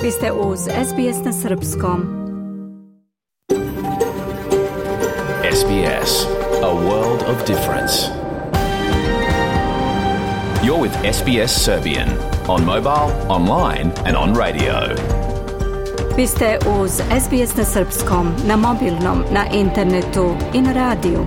Vi ste uz SBS na Srpskom. SBS, a world of difference. You're with SBS Serbian on mobile, online and on radio. Vi ste uz SBS na Srpskom, na mobilnom, na internetu i na radiju.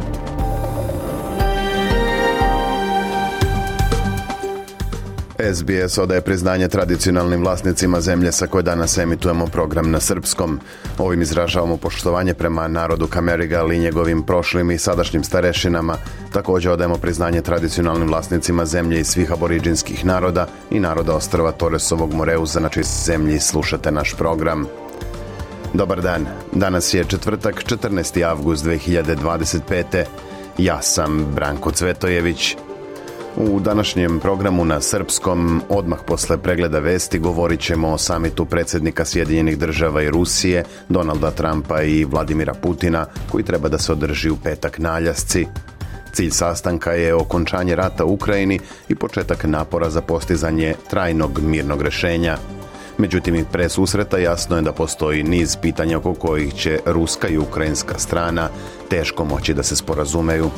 SBS odaje priznanje tradicionalnim vlasnicima zemlje sa koje danas emitujemo program na srpskom. Ovim izražavamo poštovanje prema narodu Kamerigal i njegovim prošlim i sadašnjim starešinama. Također odajemo priznanje tradicionalnim vlasnicima zemlje i svih aboriđinskih naroda i naroda ostrva Toresovog Moreuza, na čijoj zemlji slušate naš program. Dobar dan, danas je četvrtak, 14. avgust 2025. Ja sam Branko Cvetojević. U današnjem programu na srpskom, odmah posle pregleda vesti, govorit ćemo o samitu predsjednika Sjedinjenih država i Rusije, Donalda Trumpa i Vladimira Putina, koji treba da se održi u petak na Aljasci. Cilj sastanka je okončanje rata u Ukrajini i početak napora za postizanje trajnog mirnog rješenja. Međutim, i pre susreta jasno je da postoji niz pitanja oko kojih će ruska i ukrajinska strana teško moći da se sporazumeju.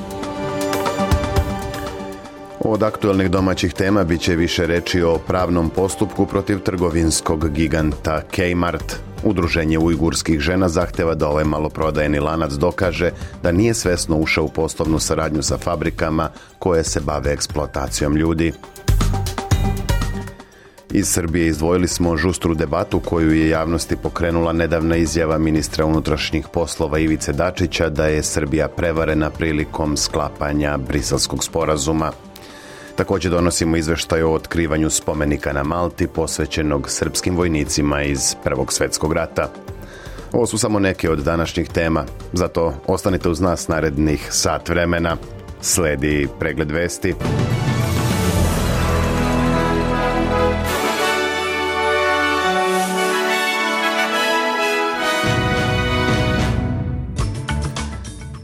Od aktualnih domaćih tema bit će više reći o pravnom postupku protiv trgovinskog giganta Kmart. Udruženje ujgurskih žena zahteva da ovaj maloprodajni lanac dokaže da nije svesno ušao u poslovnu saradnju sa fabrikama koje se bave eksploatacijom ljudi. Iz Srbije izdvojili smo žustru debatu koju je javnosti pokrenula nedavna izjava ministra unutrašnjih poslova Ivice Dačića da je Srbija prevarena prilikom sklapanja Briselskog sporazuma. Također donosimo izveštaj o otkrivanju spomenika na Malti posvećenog srpskim vojnicima iz Prvog svjetskog rata. Ovo su samo neke od današnjih tema, zato ostanite uz nas narednih sat vremena. Sledi pregled vesti.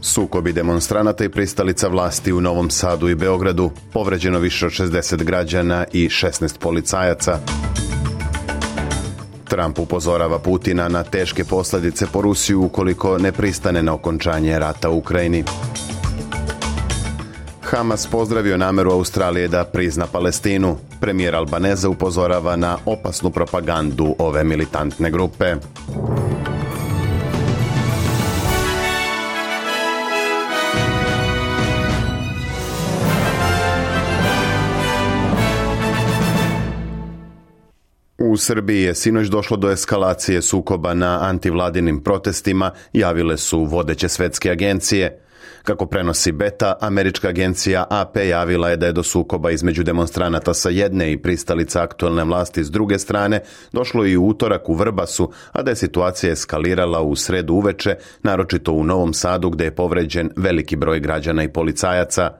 Sukobi demonstranata i pristalica vlasti u Novom Sadu i Beogradu, povređeno više od 60 građana i 16 policajaca. Trump upozorava Putina na teške posljedice po Rusiju ukoliko ne pristane na okončanje rata u Ukrajini. Hamas pozdravio nameru Australije da prizna Palestinu. Premijer Albaneza upozorava na opasnu propagandu ove militantne grupe. U Srbiji je sinoć došlo do eskalacije sukoba na antivladinim protestima, javile su vodeće svetske agencije. Kako prenosi Beta, američka agencija AP javila je da je do sukoba između demonstranata sa jedne i pristalica aktualne vlasti s druge strane došlo i u utorak u Vrbasu, a da je situacija eskalirala u sredu uveče, naročito u Novom Sadu gdje je povređen veliki broj građana i policajaca.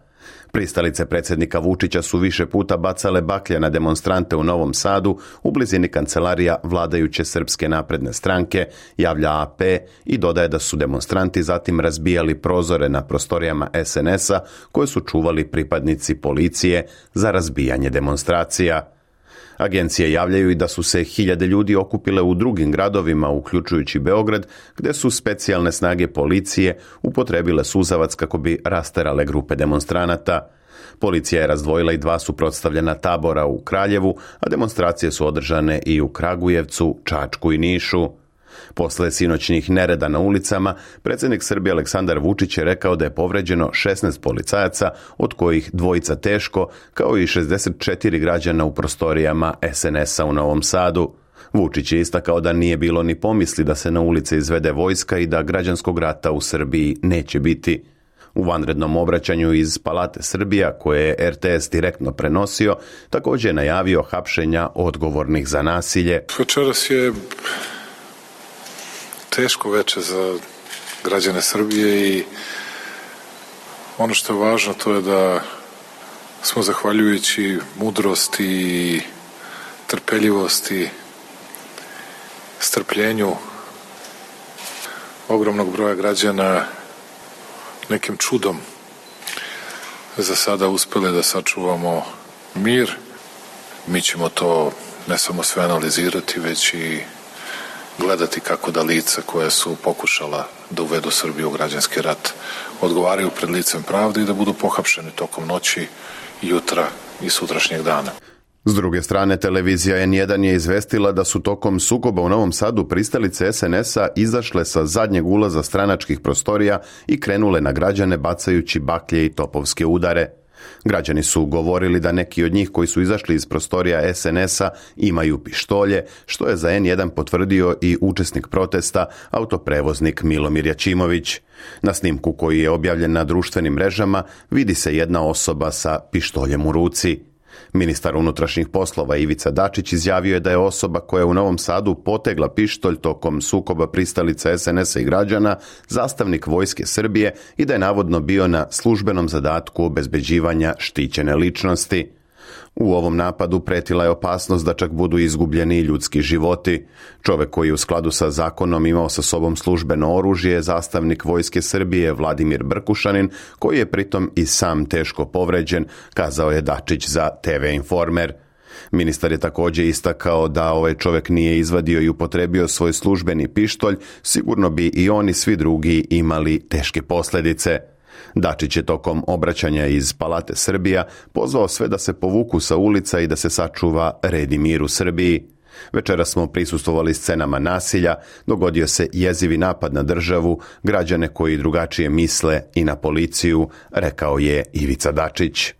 Pristalice predsjednika Vučića su više puta bacale baklje na demonstrante u Novom Sadu u blizini kancelarija vladajuće Srpske napredne stranke, javlja AP i dodaje da su demonstranti zatim razbijali prozore na prostorijama SNS-a koje su čuvali pripadnici policije za razbijanje demonstracija. Agencije javljaju i da su se hiljade ljudi okupile u drugim gradovima, uključujući Beograd, gdje su specijalne snage policije upotrebile suzavac kako bi rasterale grupe demonstranata. Policija je razdvojila i 2 suprotstavljena tabora u Kraljevu, a demonstracije su održane i u Kragujevcu, Čačku i Nišu. Posle sinoćnih nereda na ulicama, predsjednik Srbije Aleksandar Vučić je rekao da je povređeno 16 policajaca, od kojih 2 teško, kao i 64 građana u prostorijama SNS-a u Novom Sadu. Vučić je istakao da nije bilo ni pomisli da se na ulice izvede vojska i da građanskog rata u Srbiji neće biti. U vanrednom obraćanju iz Palate Srbija, koje je RTS direktno prenosio, također je najavio hapšenja odgovornih za nasilje. Večeras je teško veče za građane Srbije i ono što je važno to je da smo zahvaljujući mudrosti i trpeljivosti, strpljenju ogromnog broja građana nekim čudom za sada uspeli da sačuvamo mir. Mi ćemo to ne samo sve analizirati, već i gledati kako da lica koja su pokušala da uvedu Srbiju u građanski rat odgovaraju pred licem pravde i da budu pohapšeni tokom noći, jutra i sutrašnjeg dana. S druge strane, televizija N1 je izvestila da su tokom sukoba u Novom Sadu pristalice SNS-a izašle sa zadnjeg ulaza stranačkih prostorija i krenule na građane bacajući baklje i topovske udare. Građani su govorili da neki od njih koji su izašli iz prostorija SNS-a imaju pištolje, što je za N1 potvrdio i učesnik protesta, autoprevoznik Milomir Jačimović. Na snimku koji je objavljen na društvenim mrežama vidi se jedna osoba sa pištoljem u ruci. Ministar unutrašnjih poslova Ivica Dačić izjavio je da je osoba koja je u Novom Sadu potegla pištolj tokom sukoba pristalica SNS-a i građana zastavnik Vojske Srbije i da je navodno bio na službenom zadatku obezbeđivanja štićene ličnosti. U ovom napadu pretila je opasnost da čak budu izgubljeni ljudski životi. Čovjek koji je u skladu sa zakonom imao sa sobom službeno oružje je zastavnik Vojske Srbije Vladimir Brkušanin, koji je pritom i sam teško povređen, kazao je Dačić za TV Informer. Ministar je također istakao da ovaj čovjek nije izvadio i upotrebio svoj službeni pištolj, sigurno bi i oni svi drugi imali teške posljedice. Dačić je tokom obraćanja iz Palate Srbija pozvao sve da se povuku sa ulica i da se sačuva red i mir u Srbiji. Večeras smo prisustvovali scenama nasilja, dogodio se jezivi napad na državu, građane koji drugačije misle i na policiju, rekao je Ivica Dačić.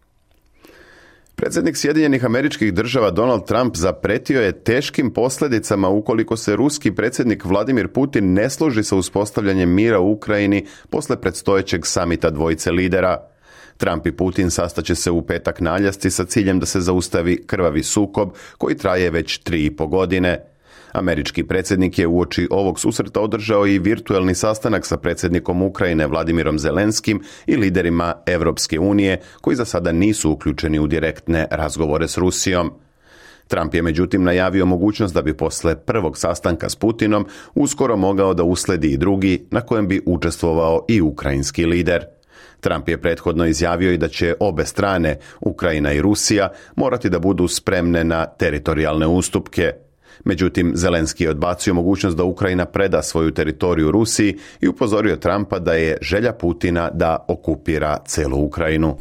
Predsjednik Sjedinjenih Američkih Država Donald Trump zapretio je teškim posljedicama ukoliko se ruski predsjednik Vladimir Putin ne složi sa uspostavljanjem mira u Ukrajini posle predstojećeg samita dvojice lidera. Trump i Putin sastaće se u petak na Aljasci sa ciljem da se zaustavi krvavi sukob koji traje već 3,5 godine. Američki predsjednik je uoči ovog susreta održao i virtuelni sastanak sa predsjednikom Ukrajine Vladimirom Zelenskim i liderima Europske unije, koji za sada nisu uključeni u direktne razgovore s Rusijom. Trump je međutim najavio mogućnost da bi posle prvog sastanka s Putinom uskoro mogao da usledi i drugi, na kojem bi učestvovao i ukrajinski lider. Trump je prethodno izjavio i da će obe strane, Ukrajina i Rusija, morati da budu spremne na teritorijalne ustupke. Međutim, Zelenski je odbacio mogućnost da Ukrajina preda svoju teritoriju Rusiji i upozorio Trumpa da je želja Putina da okupira celu Ukrajinu.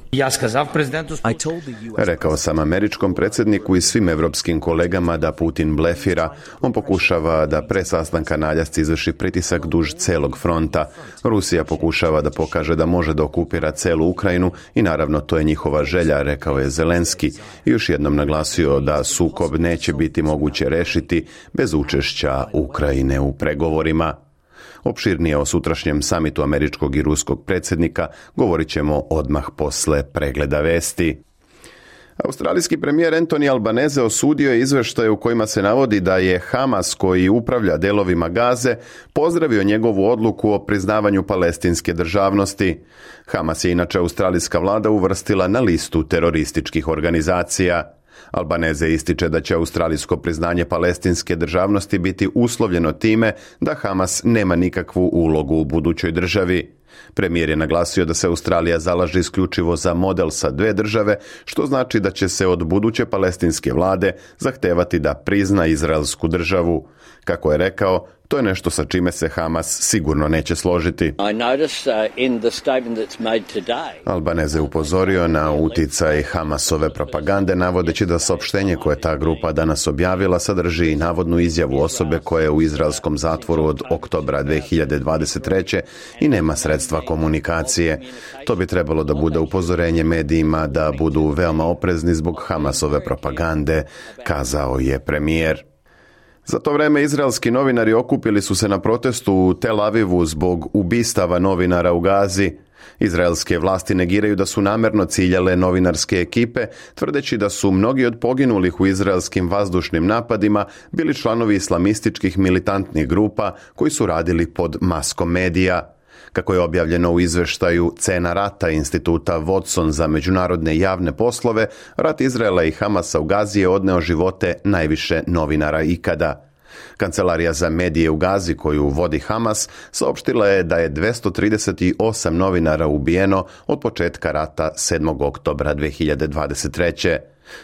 Rekao sam američkom predsjedniku i svim evropskim kolegama da Putin blefira. On pokušava da pre sastanka na Aljasci izvrši pritisak duž celog fronta. Rusija pokušava da pokaže da može da okupira celu Ukrajinu i naravno to je njihova želja, rekao je Zelenski. I još jednom naglasio da sukob neće biti moguće rešiti bez učešća Ukrajine u pregovorima. Opširnije o sutrašnjem samitu američkog i ruskog predsjednika govorit ćemo odmah posle pregleda vesti. Australijski premijer Anthony Albanese osudio je izveštaje u kojima se navodi da je Hamas, koji upravlja delovima Gaze, pozdravio njegovu odluku o priznavanju palestinske državnosti. Hamas je inače australijska vlada uvrstila na listu terorističkih organizacija. Albanese ističe da će australijsko priznanje palestinske državnosti biti uslovljeno time da Hamas nema nikakvu ulogu u budućoj državi. Premijer je naglasio da se Australija zalaže isključivo za model sa dve države, što znači da će se od buduće palestinske vlade zahtevati da prizna izraelsku državu. Kako je rekao, to je nešto sa čime se Hamas sigurno neće složiti. Albanese upozorio na uticaj Hamasove propagande, navodeći da saopštenje koje ta grupa danas objavila sadrži i navodnu izjavu osobe koja je u izraelskom zatvoru od oktobra 2023. i nema sredstva komunikacije. To bi trebalo da bude upozorenje medijima da budu veoma oprezni zbog Hamasove propagande, kazao je premijer. Za to vreme izraelski novinari okupili su se na protestu u Tel Avivu zbog ubistava novinara u Gazi. Izraelske vlasti negiraju da su namerno ciljale novinarske ekipe, tvrdeći da su mnogi od poginulih u izraelskim vazdušnim napadima bili članovi islamističkih militantnih grupa koji su radili pod maskom medija. Kako je objavljeno u izveštaju Cena rata instituta Watson za međunarodne javne poslove, rat Izraela i Hamasa u Gazi je odneo živote najviše novinara ikada. Kancelarija za medije u Gazi, koju vodi Hamas, saopštila je da je 238 novinara ubijeno od početka rata 7. oktobra 2023.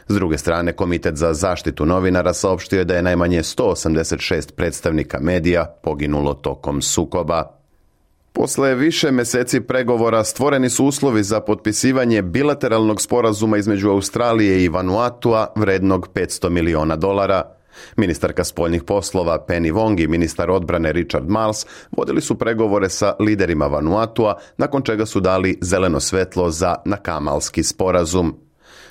S druge strane, Komitet za zaštitu novinara saopštio je da je najmanje 186 predstavnika medija poginulo tokom sukoba. Posle više meseci pregovora stvoreni su uslovi za potpisivanje bilateralnog sporazuma između Australije i Vanuatua vrednog $500 miliona. Ministarka spoljnih poslova Penny Wong i ministar odbrane Richard Marles vodili su pregovore sa liderima Vanuatua, nakon čega su dali zeleno svetlo za nakamalski sporazum.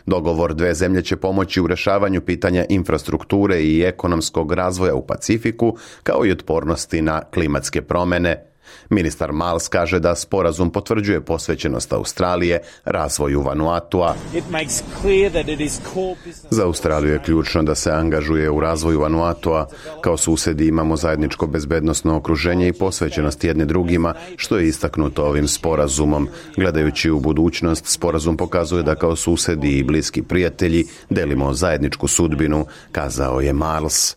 Dogovor dve zemlje će pomoći u rešavanju pitanja infrastrukture i ekonomskog razvoja u Pacifiku, kao i otpornosti na klimatske promjene. Ministar Marles kaže da sporazum potvrđuje posvećenost Australije razvoju Vanuatua. Za Australiju je ključno da se angažuje u razvoju Vanuatua. Kao susedi imamo zajedničko bezbednosno okruženje i posvećenost jedni drugima, što je istaknuto ovim sporazumom. Gledajući u budućnost, sporazum pokazuje da kao susedi i bliski prijatelji delimo zajedničku sudbinu, kazao je Marles.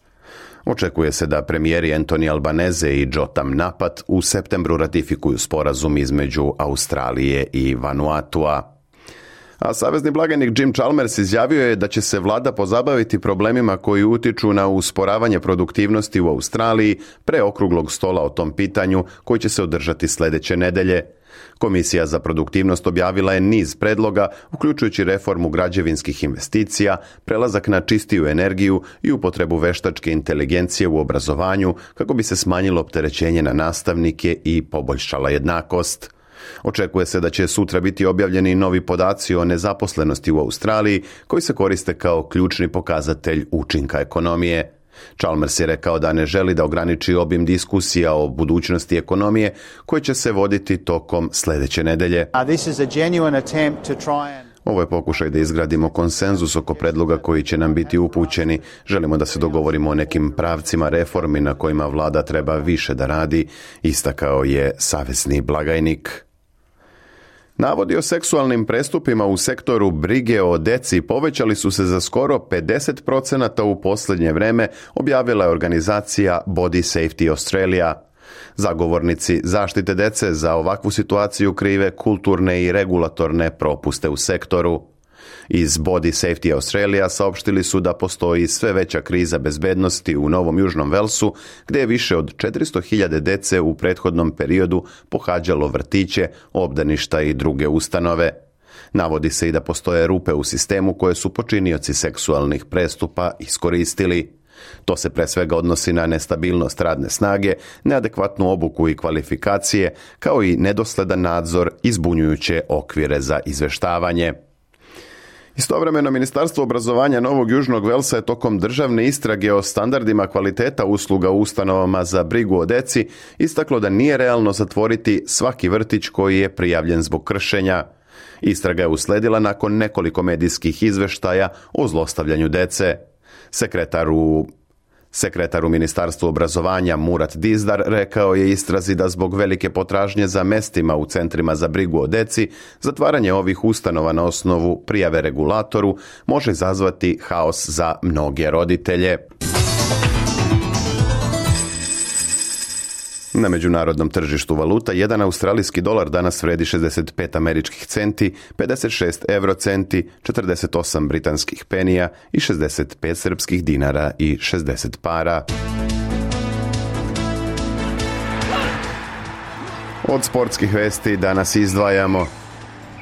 Očekuje se da premijeri Anthony Albanese i Jotam Napat u septembru ratifikuju sporazum između Australije i Vanuatua. A savezni blagajnik Jim Chalmers izjavio je da će se vlada pozabaviti problemima koji utiču na usporavanje produktivnosti u Australiji pre okruglog stola o tom pitanju koji će se održati sljedeće nedelje. Komisija za produktivnost objavila je niz predloga, uključujući reformu građevinskih investicija, prelazak na čistiju energiju i upotrebu veštačke inteligencije u obrazovanju kako bi se smanjilo opterećenje na nastavnike i poboljšala jednakost. Očekuje se da će sutra biti objavljeni novi podaci o nezaposlenosti u Australiji koji se koriste kao ključni pokazatelj učinka ekonomije. Chalmers je rekao da ne želi da ograniči obim diskusija o budućnosti ekonomije koje će se voditi tokom sljedeće nedelje. Ovo je pokušaj da izgradimo konsenzus oko predloga koji će nam biti upućeni. Želimo da se dogovorimo o nekim pravcima reformi na kojima vlada treba više da radi, istakao je savezni blagajnik. Navodi o seksualnim prestupima u sektoru brige o deci povećali su se za skoro 50% u posljednje vreme, objavila je organizacija Body Safety Australia. Zagovornici zaštite dece za ovakvu situaciju krive kulturne i regulatorne propuste u sektoru. Iz Body Safety Australia saopštili su da postoji sve veća kriza bezbednosti u Novom Južnom Velsu, gdje je više od 400.000 dece u prethodnom periodu pohađalo vrtiće, obdaništa i druge ustanove. Navodi se i da postoje rupe u sistemu koje su počinioci seksualnih prestupa iskoristili. To se pre svega odnosi na nestabilnost radne snage, neadekvatnu obuku i kvalifikacije, kao i nedosledan nadzor i zbunjujuće okvire za izveštavanje. Istovremeno, Ministarstvo obrazovanja Novog Južnog Velsa je tokom državne istrage o standardima kvaliteta usluga u ustanovama za brigu o deci istaklo da nije realno zatvoriti svaki vrtić koji je prijavljen zbog kršenja. Istraga je usledila nakon nekoliko medijskih izveštaja o zlostavljanju dece. Sekretar u Ministarstvu obrazovanja Murat Dizdar rekao je istrazi da zbog velike potražnje za mestima u centrima za brigu o deci, zatvaranje ovih ustanova na osnovu prijave regulatoru može izazvati haos za mnoge roditelje. Na međunarodnom tržištu valuta, jedan australijski dolar danas vredi 65 američkih centi, 56 eurocenti, 48 britanskih penija i 65 srpskih dinara i 60 para. Od sportskih vesti danas izdvajamo.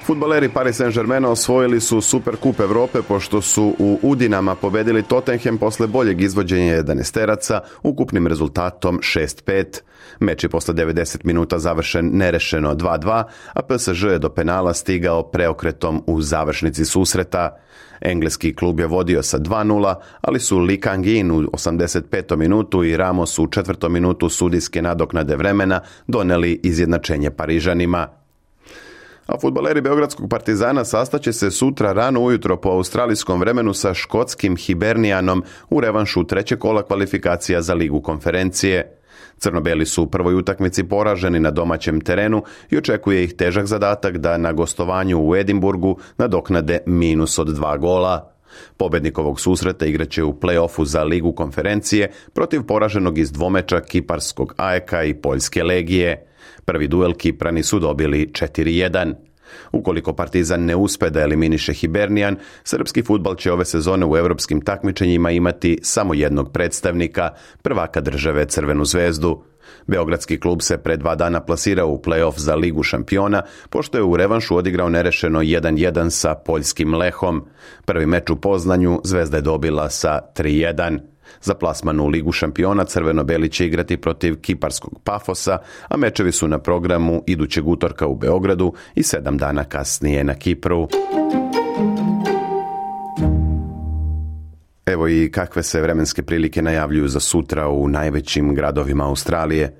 Fudbaleri Paris Saint-Germaina osvojili su Superkup Evrope pošto su u Udinama pobedili Tottenham posle boljeg izvođenja 11-teraca ukupnim rezultatom 6-5. Meč je posle 90 minuta završen nerešeno 2-2, a PSG je do penala stigao preokretom u završnici susreta. Engleski klub je vodio sa 2-0, ali su Lee Kang-in u 85. minutu i Ramos u 4. minutu sudijske nadoknade vremena doneli izjednačenje Parižanima. A fudbaleri Beogradskog Partizana sastaće se sutra rano ujutro po australijskom vremenu sa škotskim Hibernianom u revanšu trećeg kola kvalifikacija za Ligu konferencije. Crno-beli su u prvoj utakmici poraženi na domaćem terenu i očekuje ih težak zadatak da na gostovanju u Edinburgu nadoknade minus od 2 gola. Pobednik ovog susreta igraće u play-offu za Ligu konferencije protiv poraženog iz dvomeča kiparskog AEK-a i Poljske Legije. Prvi duel Kiprani su dobili 4-1. Ukoliko Partizan ne uspe da eliminiše Hibernian, srpski fudbal će ove sezone u europskim takmičenjima imati samo jednog predstavnika, prvaka države Crvenu zvezdu. Beogradski klub se pre 2 dana plasirao u play-off za Ligu šampiona, pošto je u revanšu odigrao nerešeno 1-1 sa poljskim Lehom. Prvi meč u Poznanju Zvezda je dobila sa 3-1. Za plasman u Ligu šampiona crveno-beli će igrati protiv kiparskog Pafosa, a mečevi su na programu idućeg utorka u Beogradu i 7 dana kasnije na Kipru. Evo i kakve se vremenske prilike najavljuju za sutra u najvećim gradovima Australije.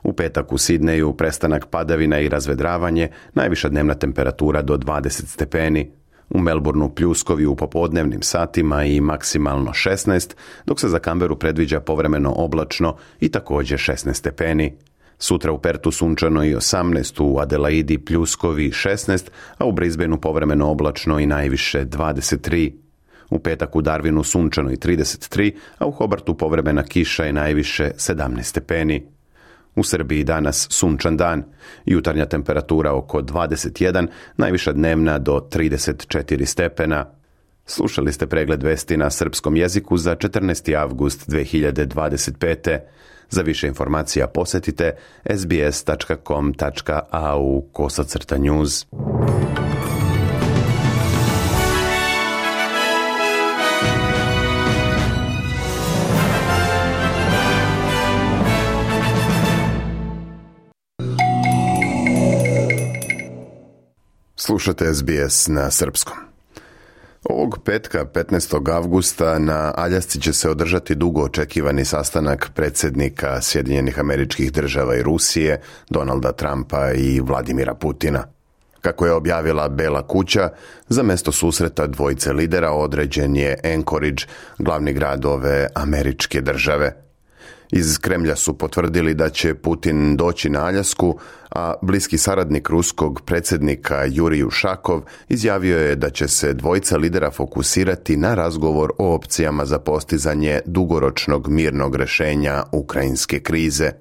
U petak u Sidneju prestanak padavina i razvedravanje, najviša dnevna temperatura do 20 stepeni. U Melbourneu pljuskovi u popodnevnim satima i maksimalno 16, dok se za Canberu predviđa povremeno oblačno i također 16 stepeni. Sutra u Pertu sunčano i 18, u Adelaidi pljuskovi 16, a u Brisbaneu povremeno oblačno i najviše 23. U petak u Darwinu sunčano i 33, a u Hobartu povremena kiša i najviše 17 stepeni. U Srbiji danas sunčan dan, jutarnja temperatura oko 21, najviša dnevna do 34 stepena. Slušali ste pregled vesti na srpskom jeziku za 14. avgust 2025. Za više informacija posjetite sbs.com.au/news. Slušate SBS na srpskom. Ovog petka, 15. avgusta, na Aljasci će se održati dugo očekivani sastanak predsjednika Sjedinjenih Američkih Država i Rusije, Donalda Trumpa i Vladimira Putina. Kako je objavila Bela kuća, za mjesto susreta dvojice lidera određen je Anchorage, glavni grad ove američke države. Iz Kremlja su potvrdili da će Putin doći na Aljasku, a bliski saradnik ruskog predsjednika Jurij Ušakov izjavio je da će se dvojica lidera fokusirati na razgovor o opcijama za postizanje dugoročnog mirnog rješenja ukrajinske krize.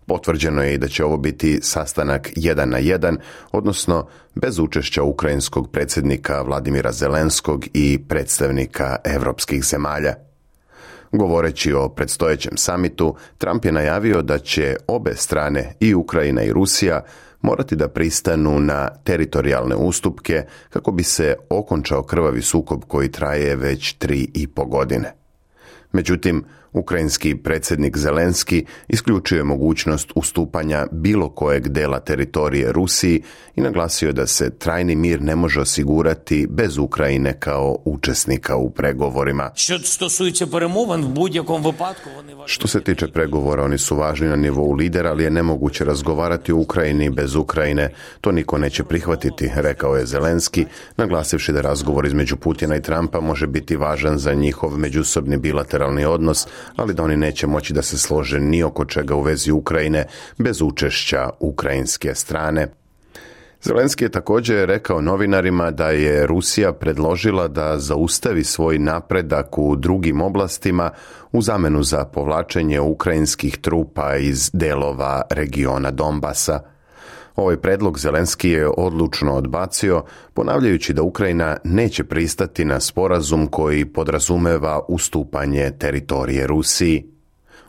Potvrđeno je i da će ovo biti sastanak 1 na 1, odnosno bez učešća ukrajinskog predsjednika Vladimira Zelenskog i predstavnika europskih zemalja. Govoreći o predstojećem samitu, Trump je najavio da će obe strane, i Ukrajina i Rusija, morati da pristanu na teritorijalne ustupke kako bi se okončao krvavi sukob koji traje već 3,5 godine. Međutim, ukrajinski predsjednik Zelenski isključio je mogućnost ustupanja bilo kojeg dela teritorije Rusiji i naglasio da se trajni mir ne može osigurati bez Ukrajine kao učesnika u pregovorima. Što se tiče pregovora, oni su važni na nivou lidera, ali je nemoguće razgovarati o Ukrajini bez Ukrajine. To niko neće prihvatiti, rekao je Zelenski, naglasivši da razgovor između Putina i Trumpa može biti važan za njihov međusobni bilateralni odnos, ali da oni neće moći da se slože ni oko čega u vezi Ukrajine bez učešća ukrajinske strane. Zelenski je također rekao novinarima da je Rusija predložila da zaustavi svoj napredak u drugim oblastima u zamenu za povlačenje ukrajinskih trupa iz delova regiona Donbasa. Ovaj predlog Zelenski je odlučno odbacio, ponavljajući da Ukrajina neće pristati na sporazum koji podrazumeva ustupanje teritorije Rusiji.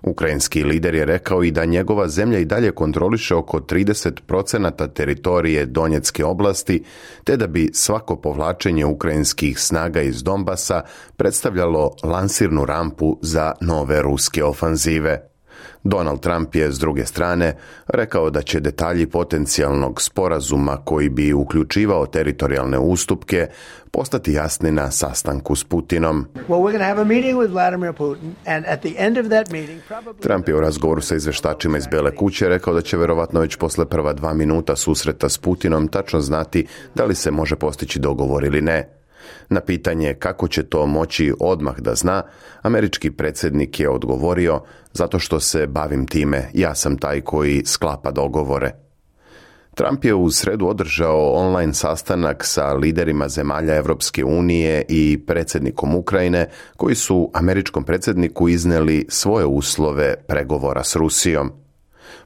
Ukrajinski lider je rekao i da njegova zemlja i dalje kontroliše oko 30% teritorije Donjecke oblasti, te da bi svako povlačenje ukrajinskih snaga iz Donbasa predstavljalo lansirnu rampu za nove ruske ofanzive. Donald Trump je, s druge strane, rekao da će detalji potencijalnog sporazuma koji bi uključivao teritorijalne ustupke postati jasni na sastanku s Putinom. Trump je u razgovoru sa izvještačima iz Bele kuće rekao da će verovatno već posle prva 2 minuta susreta s Putinom tačno znati da li se može postići dogovor ili ne. Na pitanje kako će to moći odmah da zna, američki predsjednik je odgovorio: zato što se bavim time, ja sam taj koji sklapa dogovore. Trump je u sredu održao online sastanak sa liderima zemalja Evropske unije i predsjednikom Ukrajine, koji su američkom predsjedniku iznijeli svoje uslove pregovora s Rusijom.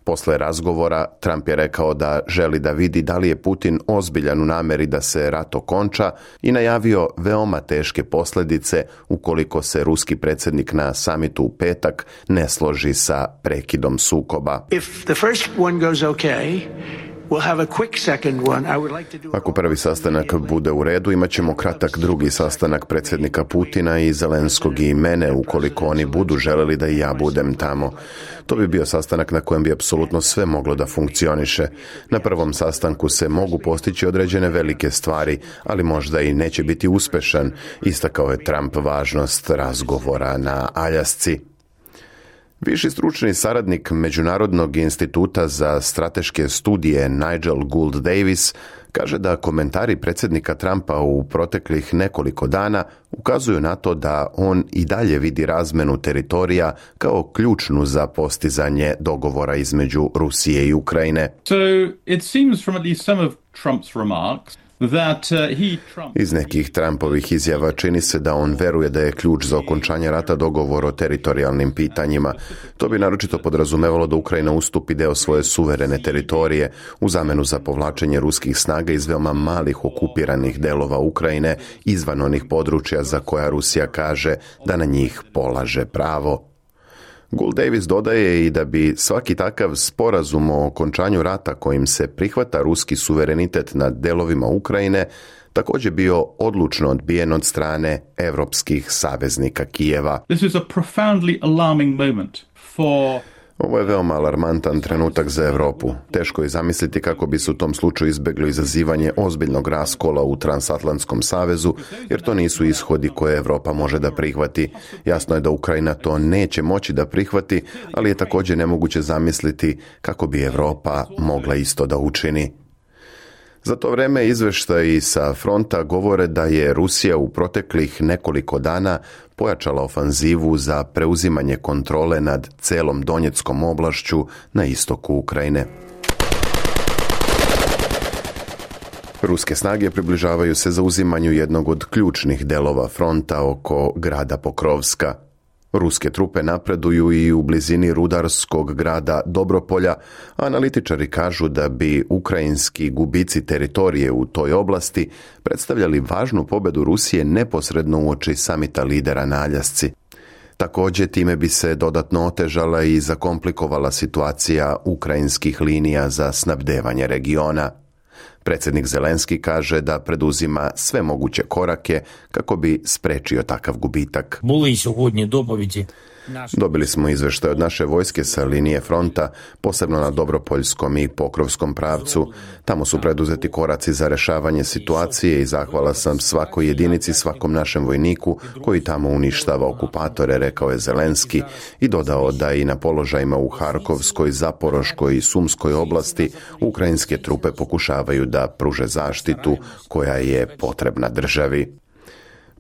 Posle razgovora, Trump je rekao da želi da vidi da li je Putin ozbiljan u namjeri da se rat okonča i najavio veoma teške posljedice ukoliko se ruski predsjednik na samitu u petak ne složi sa prekidom sukoba. Ako prvi sastanak bude u redu, imat ćemo kratak drugi sastanak predsjednika Putina i Zelenskog i mene, ukoliko oni budu želeli da i ja budem tamo. To bi bio sastanak na kojem bi apsolutno sve moglo da funkcioniše. Na prvom sastanku se mogu postići određene velike stvari, ali možda i neće biti uspešan. Istakao je Trump važnost razgovora na Aljasci. Viši stručni saradnik Međunarodnog instituta za strateške studije Nigel Gould Davis kaže da komentari predsjednika Trumpa u proteklih nekoliko dana ukazuju na to da on i dalje vidi razmenu teritorija kao ključnu za postizanje dogovora između Rusije i Ukrajine. So it seems from at least some of Trump's remarks iz nekih Trumpovih izjava čini se da on veruje da je ključ za okončanje rata dogovor o teritorijalnim pitanjima. To bi naročito podrazumevalo da Ukrajina ustupi deo svoje suverene teritorije u zamenu za povlačenje ruskih snaga iz veoma malih okupiranih delova Ukrajine izvan onih područja za koja Rusija kaže da na njih polaže pravo. Gould Davis dodaje i da bi svaki takav sporazum o okončanju rata kojim se prihvata ruski suverenitet nad delovima Ukrajine također bio odlučno odbijen od strane evropskih saveznika Kijeva. This is a profoundly alarming moment for Ovo je veoma alarmantan trenutak za Europu. Teško je zamisliti kako bi se u tom slučaju izbjeglo izazivanje ozbiljnog raskola u Transatlantskom savezu, jer to nisu ishodi koje Europa može da prihvati. Jasno je da Ukrajina to neće moći da prihvati, ali je također nemoguće zamisliti kako bi Europa mogla isto da učini. Za to vreme izveštaji sa fronta govore da je Rusija u proteklih nekoliko dana pojačala ofanzivu za preuzimanje kontrole nad celom Donjeckom oblašću na istoku Ukrajine. Ruske snage približavaju se zauzimanju jednog od ključnih delova fronta oko grada Pokrovska. Ruske trupe napreduju i u blizini rudarskog grada Dobropolja, a analitičari kažu da bi ukrajinski gubici teritorije u toj oblasti predstavljali važnu pobedu Rusije neposredno uoči samita lidera na Aljasci. Također time bi se dodatno otežala i zakomplikovala situacija ukrajinskih linija za snabdevanje regiona. Predsjednik Zelenski kaže da preduzima sve moguće korake kako bi sprečio takav gubitak. Dobili smo izveštaj od naše vojske sa linije fronta, posebno na Dobropoljskom i Pokrovskom pravcu. Tamo su preduzeti koraci za rešavanje situacije i zahvala sam svakoj jedinici, svakom našem vojniku koji tamo uništava okupatore, rekao je Zelenski i dodao da i na položajima u Harkovskoj, Zaporoškoj i Sumskoj oblasti ukrajinske trupe pokušavaju da pruže zaštitu koja je potrebna državi.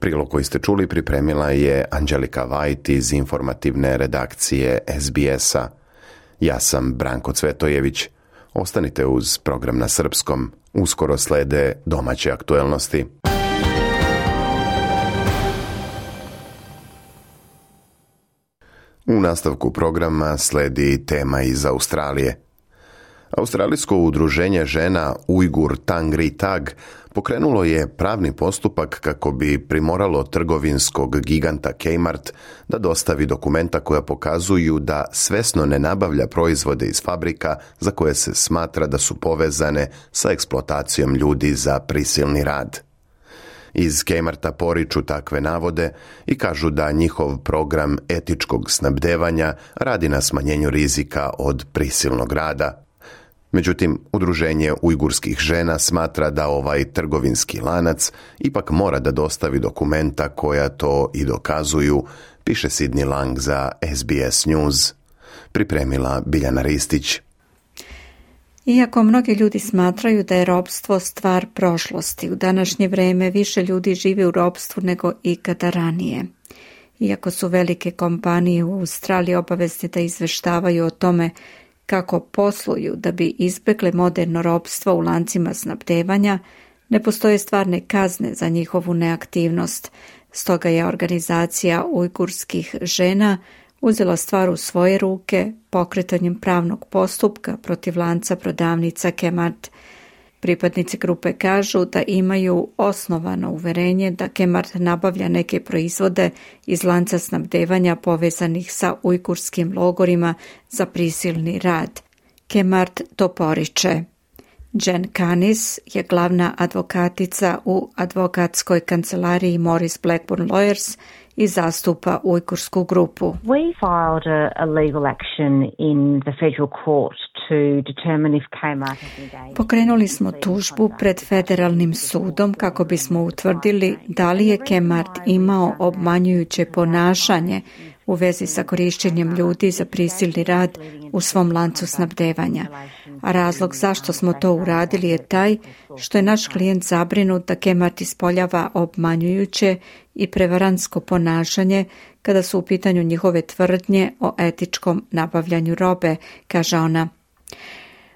Prilog koji ste čuli pripremila je Anđelika Vajt iz informativne redakcije SBS-a. Ja sam Branko Cvetojević. Ostanite uz program na srpskom. Uskoro slede domaće aktuelnosti. U nastavku programa sledi tema iz Australije. Australijsko udruženje žena Ujgur Tangri Tag pokrenulo je pravni postupak kako bi primoralo trgovinskog giganta Kmart da dostavi dokumenta koja pokazuju da svesno ne nabavlja proizvode iz fabrika za koje se smatra da su povezane sa eksploatacijom ljudi za prisilni rad. Iz Kmarta poriču takve navode i kažu da njihov program etičkog snabdevanja radi na smanjenju rizika od prisilnog rada. Međutim, udruženje ujgurskih žena smatra da ovaj trgovinski lanac ipak mora da dostavi dokumenta koja to i dokazuju, piše Sidney Lang za SBS News. Pripremila Biljana Ristić. Iako mnogi ljudi smatraju da je ropstvo stvar prošlosti, u današnje vrijeme više ljudi živi u ropstvu nego ikada ranije. Iako su velike kompanije u Australiji obavezne da izveštavaju o tome kako posluju da bi izbjegli moderno ropstvo u lancima snabdevanja, ne postoje stvarne kazne za njihovu neaktivnost. Stoga je organizacija ujgurskih žena uzela stvar u svoje ruke pokretanjem pravnog postupka protiv lanca prodavnica Kmart. Pripadnici grupe kažu da imaju osnovano uverenje da Kmart nabavlja neke proizvode iz lanca snabdevanja povezanih sa ujgurskim logorima za prisilni rad. Kmart to poriče. Jen Kanis je glavna advokatica u advokatskoj kancelariji Morris Blackburn Lawyers i zastupa ujgursku grupu. We filed a legal action in the federal court to determine if Kmart has engaged. Pokrenuli smo tužbu pred federalnim sudom kako bismo utvrdili da li je Kmart imao obmanjujuće ponašanje u vezi sa korištenjem ljudi za prisilni rad u svom lancu snabdevanja. A razlog zašto smo to uradili je taj što je naš klijent zabrinut da Kmart ispoljava obmanjujuće i prevarantsko ponašanje kada su u pitanju njihove tvrdnje o etičkom nabavljanju robe, kaže ona.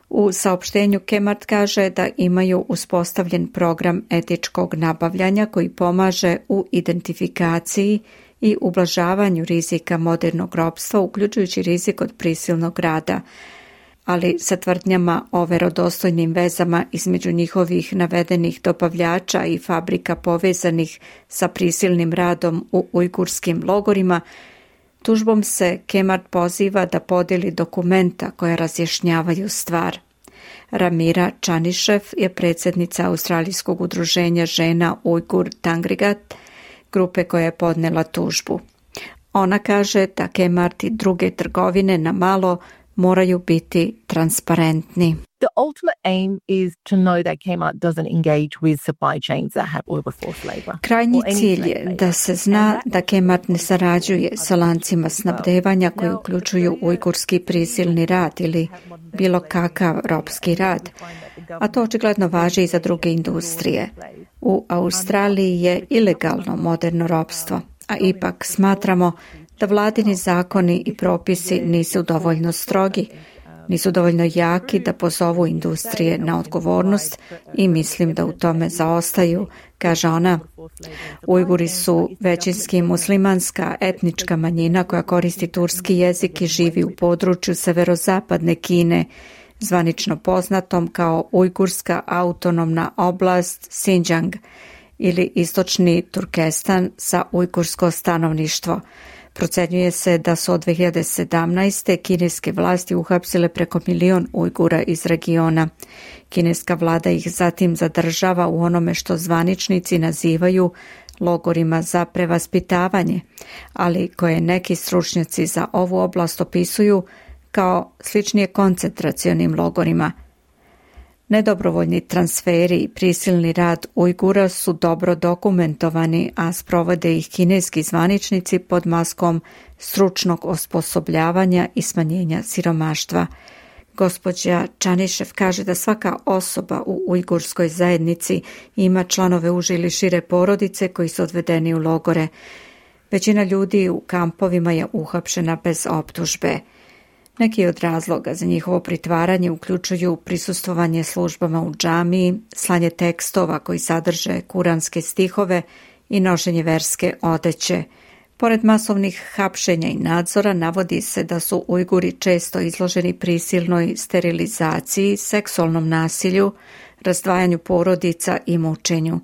U saopštenju Kmart kaže da imaju uspostavljen program etičkog nabavljanja koji pomaže u identifikaciji i ublažavanju rizika modernog ropstva, uključujući rizik od prisilnog rada, ali sa tvrdnjama o verodostojnim vezama između njihovih navedenih dobavljača i fabrika povezanih sa prisilnim radom u ujgurskim logorima, tužbom se Kmart poziva da podijeli dokumenta koja razjašnjavaju stvar. Ramira Čanišev je predsjednica Australijskog udruženja žena Ujgur Tangrigat, grupe koja je podnela tužbu. Ona kaže da Kmart i druge trgovine na malo moraju biti transparentni. The ultimate aim is to know that Kmart doesn't engage with supply chains that have oil forced labor. Krajnji cilj je da se zna da Kmart ne sarađuje sa lancima snabdevanja koji uključuju ujgurski prisilni rad ili bilo kakav ropski rad, a to očigledno važi i za druge industrije. U Australiji je ilegalno moderno ropstvo, a ipak smatramo da vladini zakoni i propisi nisu dovoljno strogi, nisu dovoljno jaki da pozovu industrije na odgovornost i mislim da u tome zaostaju, kaže ona. Ujguri su većinski muslimanska etnička manjina koja koristi turski jezik i živi u području severozapadne Kine, zvanično poznatom kao Ujgurska autonomna oblast Xinjiang ili istočni Turkestan sa ujgursko stanovništvo. Procenjuje se da su od 2017. kineske vlasti uhapsile preko 1 milion Ujgura iz regiona. Kineska vlada ih zatim zadržava u onome što zvaničnici nazivaju logorima za prevaspitavanje, ali koje neki stručnjaci za ovu oblast opisuju kao sličnije koncentracionim logorima. Nedobrovoljni transferi i prisilni rad Ujgura su dobro dokumentovani, a sprovode ih kineski zvaničnici pod maskom stručnog osposobljavanja i smanjenja siromaštva. Gospođa Čanišev kaže da svaka osoba u ujgurskoj zajednici ima članove uže ili šire porodice koji su odvedeni u logore. Većina ljudi u kampovima je uhapšena bez optužbe. Neki od razloga za njihovo pritvaranje uključuju prisustvovanje službama u džamiji, slanje tekstova koji sadrže kuranske stihove i nošenje verske odeće. Pored masovnih hapšenja i nadzora, navodi se da su Ujguri često izloženi prisilnoj sterilizaciji, seksualnom nasilju, razdvajanju porodica i mučenju.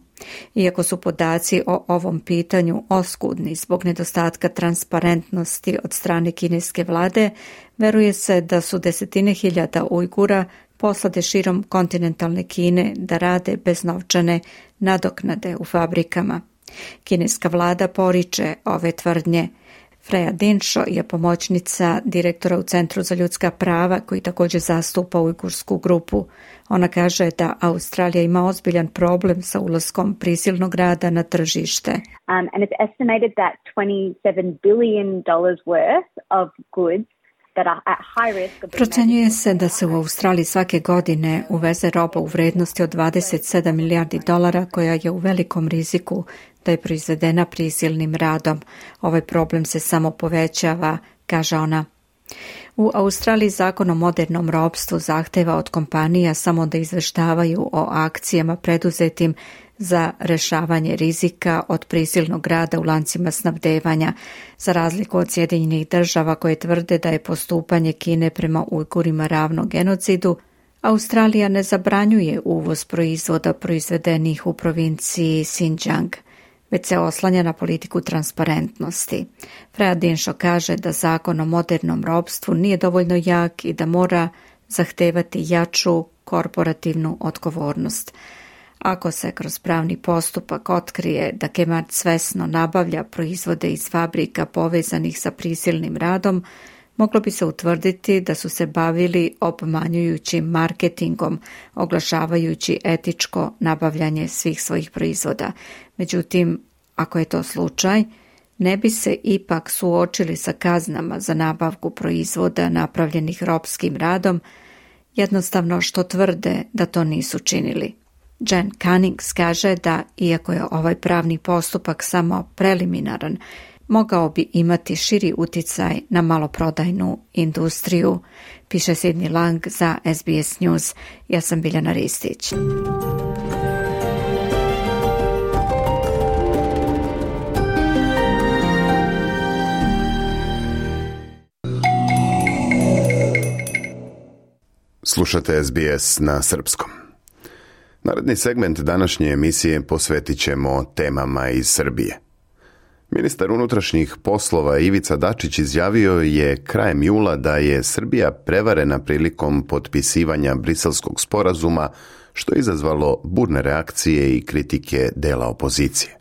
Iako su podaci o ovom pitanju oskudni zbog nedostatka transparentnosti od strane kineske vlade, veruje se da su desetine hiljada Ujgura poslate širom kontinentalne Kine da rade bez novčane nadoknade u fabrikama. Kineska vlada poriče ove tvrdnje. Freja Dinšo je pomoćnica direktora u Centru za ljudska prava koji također zastupa ujgursku grupu. Ona kaže da Australija ima ozbiljan problem sa ulaskom prisilnog rada na tržište. And it's estimated that $27 billion worth of goods that are at high risk of... Procenjuje se da se u Australiji svake godine uveze roba u vrednosti od $27 milijardi koja je u velikom riziku da je proizvedena prisilnim radom. Ovaj problem se samo povećava, kaže ona. U Australiji zakon o modernom ropstvu zahteva od kompanija samo da izveštavaju o akcijama preduzetim za rešavanje rizika od prisilnog rada u lancima snabdevanja, za razliku od Sjedinjenih država koje tvrde da je postupanje Kine prema Ujgurima ravno genocidu. Australija ne zabranjuje uvoz proizvoda proizvedenih u provinciji Xinjiang, već se oslanja na politiku transparentnosti. Freya Dinshaw kaže da zakon o modernom ropstvu nije dovoljno jak i da mora zahtevati jaču korporativnu odgovornost. Ako se kroz pravni postupak otkrije da Kmart svesno nabavlja proizvode iz fabrika povezanih sa prisilnim radom, moglo bi se utvrditi da su se bavili obmanjujućim marketingom, oglašavajući etičko nabavljanje svih svojih proizvoda. Međutim, ako je to slučaj, ne bi se ipak suočili sa kaznama za nabavku proizvoda napravljenih ropskim radom, jednostavno što tvrde da to nisu činili. Jen Cunnings kaže da, iako je ovaj pravni postupak samo preliminaran, mogao bi imati širi uticaj na maloprodajnu industriju, piše Sidney Lang za SBS News. Ja sam Biljana Ristić. Slušate SBS na srpskom. Naredni segment današnje emisije posvetit ćemo temama iz Srbije. Ministar unutrašnjih poslova Ivica Dačić izjavio je krajem jula da je Srbija prevarena prilikom potpisivanja Briselskog sporazuma, što je izazvalo burne reakcije i kritike dela opozicije.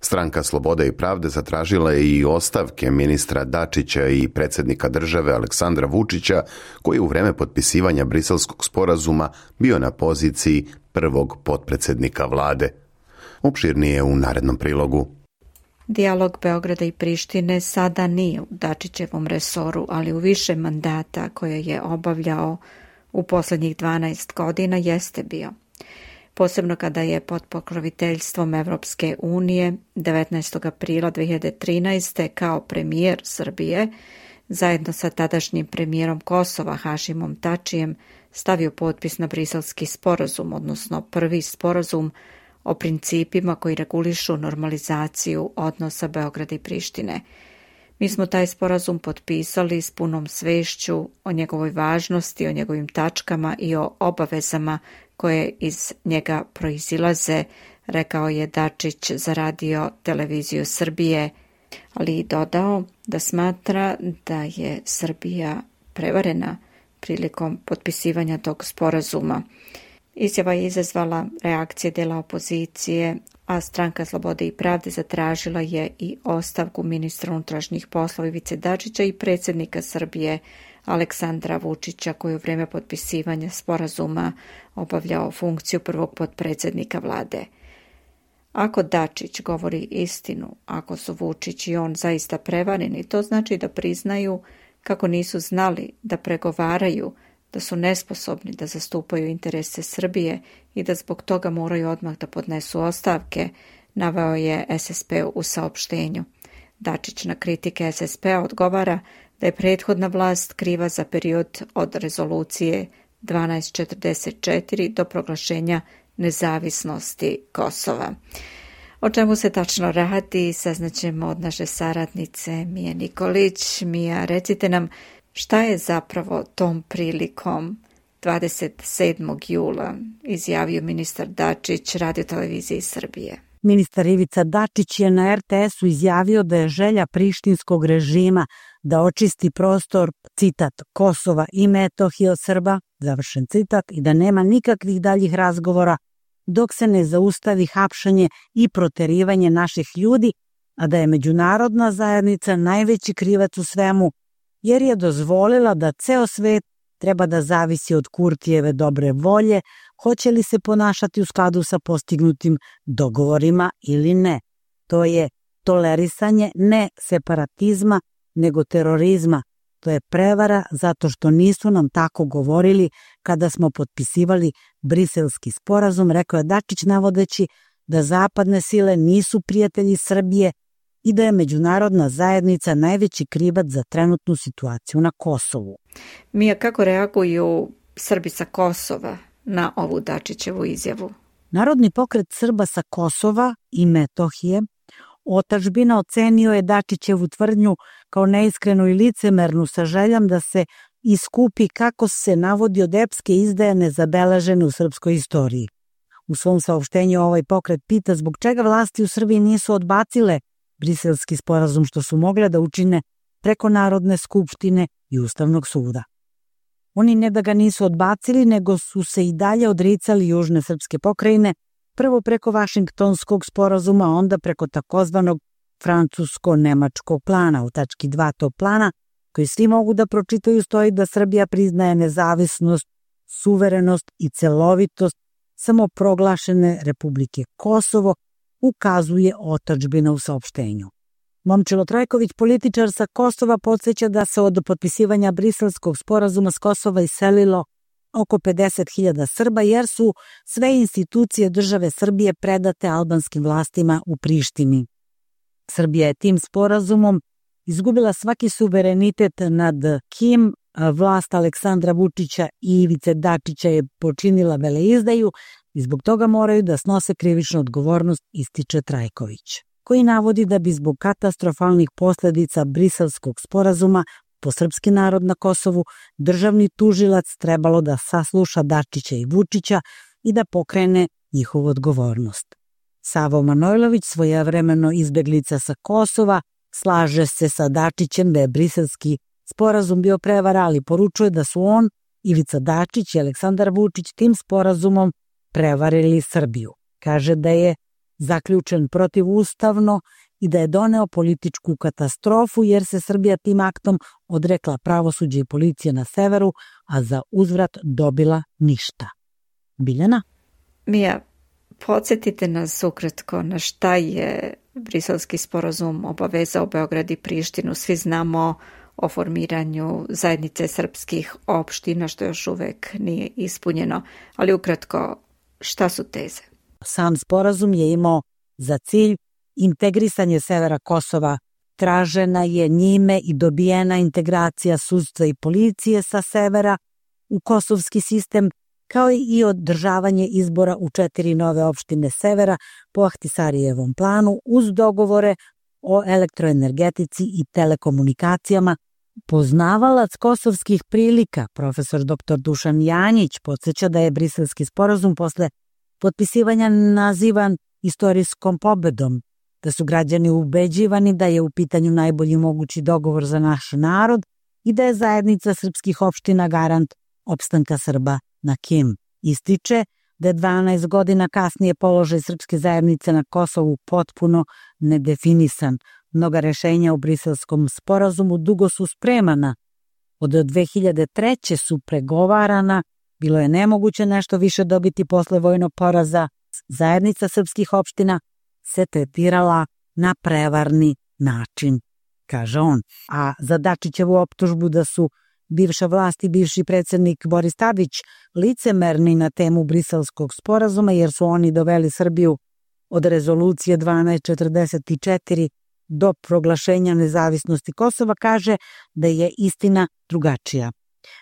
Stranka Slobode i pravde zatražila je i ostavke ministra Dačića i predsjednika države Aleksandra Vučića, koji u vreme potpisivanja Briselskog sporazuma bio na poziciji prvog potpredsjednika vlade. Opširnije u narednom prilogu. Dijalog Beograda i Prištine sada nije u Dačićevom resoru, ali u više mandata koje je obavljao u posljednjih 12 godina jeste bio. Posebno kada je pod pokroviteljstvom Evropske unije 19. aprila 2013. kao premijer Srbije, zajedno sa tadašnjim premijerom Kosova Hašimom Tačijem, stavio potpis na Briselski sporazum, odnosno prvi sporazum o principima koji regulišu normalizaciju odnosa Beograda i Prištine. Mi smo taj sporazum potpisali s punom svešću o njegovoj važnosti, o njegovim tačkama i o obavezama koje iz njega proizilaze, rekao je Dačić za Radio Televiziju Srbije, ali i dodao da smatra da je Srbija prevarena prilikom potpisivanja tog sporazuma. Izjava je izazvala reakcije dela opozicije, a Stranka Slobode i pravde zatražila je i ostavku ministra unutrašnjih poslova Ivice Dačića i predsjednika Srbije Aleksandra Vučića, koji u vrijeme potpisivanja sporazuma obavljao funkciju prvog potpredsjednika vlade. Ako Dačić govori istinu, ako su Vučić i on zaista prevareni, to znači da priznaju kako nisu znali da pregovaraju, da su nesposobni da zastupaju interese Srbije i da zbog toga moraju odmah da podnesu ostavke, naveo je SSP u saopštenju. Dačić na kritike SSP-a odgovara da je prethodna vlast kriva za period od rezolucije 1244 do proglašenja nezavisnosti Kosova. O čemu se tačno radi, saznaćemo od naše saradnice Mije Nikolić. Mija, recite nam šta je zapravo tom prilikom 27. jula izjavio ministar Dačić Radio Televiziji Srbije. Ministar Ivica Dačić je na RTS-u izjavio da je želja prištinskog režima da očisti prostor, citat, Kosova i Metohije od Srba, završen citat, i da nema nikakvih daljih razgovora dok se ne zaustavi hapšanje i proterivanje naših ljudi, a da je međunarodna zajednica najveći krivac u svemu, jer je dozvolila da ceo svet treba da zavisi od Kurtijeve dobre volje, hoće li se ponašati u skladu sa postignutim dogovorima ili ne. To je tolerisanje ne separatizma, nego terorizma. To je prevara zato što nisu nam tako govorili kada smo potpisivali Briselski sporazum, rekao je Dačić navodeći da zapadne sile nisu prijatelji Srbije i da je međunarodna zajednica najveći krivac za trenutnu situaciju na Kosovu. Mija, kako reaguju Srbi sa Kosova na ovu Dačićevu izjavu? Narodni pokret Srba sa Kosova i Metohije Otadžbina ocenio je Dačićevu tvrdnju kao neiskrenu i licemernu sa željom da se iskupi kako se navodi od epske izdaje nezabeležene u srpskoj istoriji. U svom saopštenju ovaj pokret pita zbog čega vlasti u Srbiji nisu odbacile Briselski sporazum što su mogle da učine preko Narodne skupštine i Ustavnog suda. Oni ne da ga nisu odbacili, nego su se i dalje odricali južne srpske pokrajine, prvo preko Vašingtonskog sporazuma, onda preko takozvanog francusko-nemačkog plana. U tački 2 tog plana, koji svi mogu da pročitaju, stoji da Srbija priznaje nezavisnost, suverenost i celovitost samoproglašene Republike Kosovo, ukazuje Otadžbina u saopštenju. Momčilo Trajković, političar sa Kosova, podsjeća da se od potpisivanja Briselskog sporazuma s Kosova iselilo oko 50.000 Srba, jer su sve institucije države Srbije predate albanskim vlastima u Prištini. Srbija je tim sporazumom izgubila svaki suverenitet nad kim vlast Aleksandra Vučića i Ivice Dačića je počinila veleizdaju i zbog toga moraju da snose krivičnu odgovornost, ističe Trajković, koji navodi da bi zbog katastrofalnih posledica Briselskog sporazuma po srpski narod na Kosovu državni tužilac trebalo da sasluša Dačića i Vučića i da pokrene njihovu odgovornost. Savo Manojlović, svojevremeno izbeglica sa Kosova, slaže se sa Dačićem da je Briselski sporazum bio prevara, ali poručuje da su on, Ivica Dačić i Aleksandar Vučić tim sporazumom prevarili Srbiju. Kaže da je zaključen protivustavno i da je doneo političku katastrofu jer se Srbija tim aktom odrekla pravosuđa i policije na severu, a za uzvrat dobila ništa. Biljana? Mija, podsjetite nas ukratko na šta je Briselski sporazum obavezao Beograd i Prištinu. Svi znamo o formiranju zajednice srpskih opština, što još uvek nije ispunjeno, ali ukratko, šta su teze? Sam sporazum je imao za cilj integrisanje severa Kosova. Tražena je njime i dobijena integracija sudstva i policije sa severa u kosovski sistem, kao i održavanje izbora u 4 nove opštine severa po Ahtisarijevom planu uz dogovore o elektroenergetici i telekomunikacijama. Poznavalac kosovskih prilika, profesor dr. Dušan Janjić, podsjeća da je Briselski sporazum posle potpisivanja nazivan istorijskom pobedom, da su građani ubeđivani da je u pitanju najbolji mogući dogovor za naš narod i da je zajednica srpskih opština garant opstanka Srba na Kim. Ističe da je 12 godina kasnije položaj srpske zajednice na Kosovu potpuno nedefinisan. Mnoga rešenja u Briselskom sporazumu dugo su spremana. Od 2003. su pregovarana, bilo je nemoguće nešto više dobiti posle vojnog poraza. Zajednica srpskih opština se tretirala na prevarni način, kaže on. A za Dačićevu optužbu da su bivša vlast i bivši predsjednik Boris Tadić licemerni na temu Briselskog sporazuma jer su oni doveli Srbiju od rezolucije 1244 do proglašenja nezavisnosti Kosova, kaže da je istina drugačija.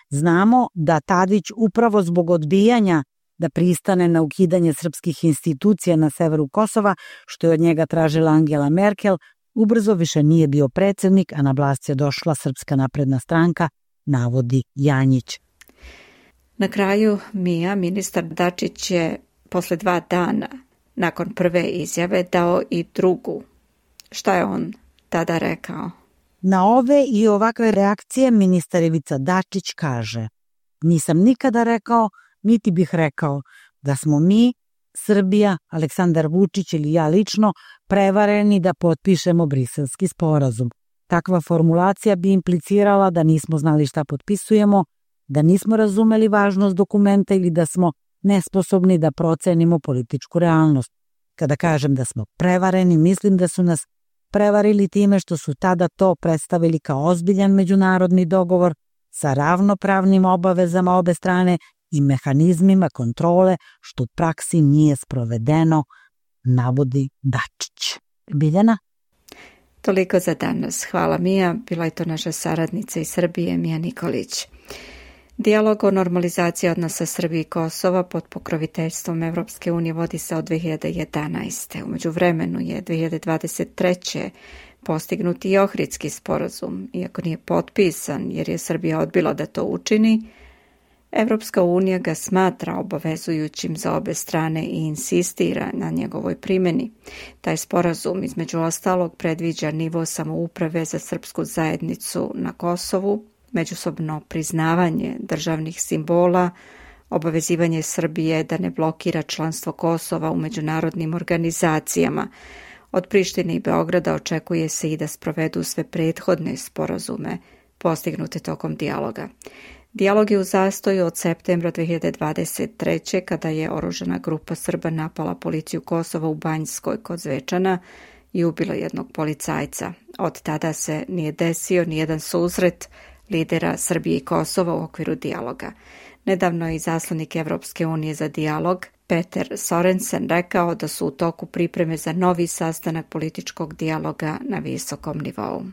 Znamo da Tadić upravo zbog odbijanja da pristane na ukidanje srpskih institucija na severu Kosova, što je od njega tražila Angela Merkel, ubrzo više nije bio predsjednik, a na vlast je došla Srpska napredna stranka, navodi Janjić. Na kraju, Mija, ministar Dačić je posle 2 dana nakon prve izjave dao i drugu. Šta je on tada rekao? Na ove i ovakve reakcije ministar Ivica Dačić kaže: nisam nikada rekao, niti bih rekao da smo mi, Srbija, Aleksandar Vučić ili ja lično, prevareni da potpišemo Briselski sporazum. Takva formulacija bi implicirala da nismo znali šta potpisujemo, da nismo razumeli važnost dokumenta ili da smo nesposobni da procenimo političku realnost. Kada kažem da smo prevareni, mislim da su nas prevarili time što su tada to predstavili kao ozbiljan međunarodni dogovor sa ravnopravnim obavezama obe strane i mehanizmima kontrole, što u praksi nije sprovedeno, navodi Dačić. Biljana? Toliko za danas. Hvala Mija. Bila je to naša saradnica iz Srbije, Mija Nikolić. Dijalog o normalizaciji odnosa Srbije i Kosova pod pokroviteljstvom Evropske unije vodi se od 2011. U međuvremenu je 2023. postignut i Ohridski sporazum, iako nije potpisan jer je Srbija odbila da to učini. Evropska unija ga smatra obavezujućim za obe strane i insistira na njegovoj primjeni. Taj sporazum između ostalog predviđa nivo samouprave za srpsku zajednicu na Kosovu, međusobno priznavanje državnih simbola, obavezivanje Srbije da ne blokira članstvo Kosova u međunarodnim organizacijama. Od Prištine i Beograda očekuje se i da sprovedu sve prethodne sporazume postignute tokom dijaloga. Dijalog je u zastoju od septembra 2023. kada je oružana grupa Srba napala policiju Kosova u Banjskoj kod Zvečana i ubila jednog policajca. Od tada se nije desio nijedan susret lidera Srbije i Kosova u okviru dijaloga. Nedavno je izaslanik Evropske unije za dijalog Peter Sorensen rekao da su u toku pripreme za novi sastanak političkog dijaloga na visokom nivou.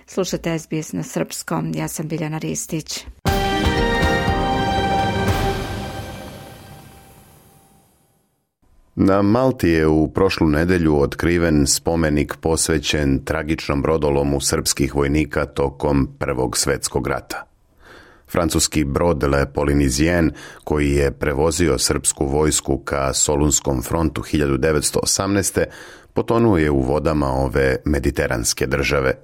Slušate SBS na srpskom, ja sam Biljana Ristić. Na Malti je u prošlu nedelju otkriven spomenik posvećen tragičnom brodolomu srpskih vojnika tokom Prvog svjetskog rata. Francuski brod Le Polynésien, koji je prevozio srpsku vojsku ka Solunskom frontu 1918. potonuo je u vodama ove mediteranske države.